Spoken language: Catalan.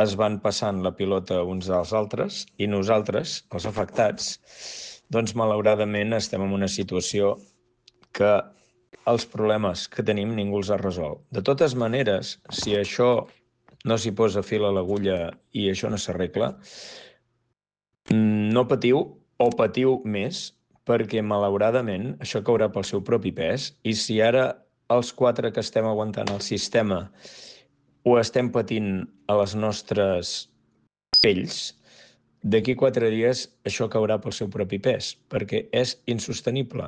es van passant la pilota uns als altres i nosaltres, els afectats, doncs malauradament estem en una situació que els problemes que tenim ningú els ha resolt. De totes maneres, si això no s'hi posa fil a l'agulla i això no s'arregla, no patiu o patiu més, perquè malauradament això caurà pel seu propi pes, i si ara els 4 que estem aguantant el sistema ho estem patint a les nostres pells, d'aquí 4 dies això caurà pel seu propi pes, perquè és insostenible.